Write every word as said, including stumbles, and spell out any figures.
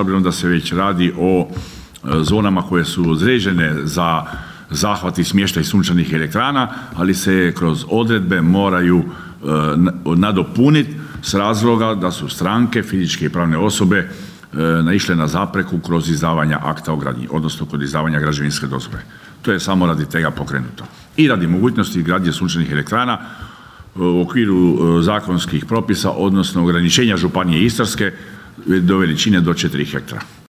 obzirom da se već radi o zonama koje su određene za zahvat i smještaj sunčanih elektrana, ali se kroz odredbe moraju nadopuniti s razloga da su stranke, fizičke i pravne osobe naišle na zapreku kroz izdavanja akta o gradnji, odnosno kod izdavanja građevinske dozvole. To je samo radi tega pokrenuto. I radi mogućnosti gradnje sunčanih elektrana u okviru zakonskih propisa, odnosno ograničenja Županije Istarske do veličine do četiri hektara.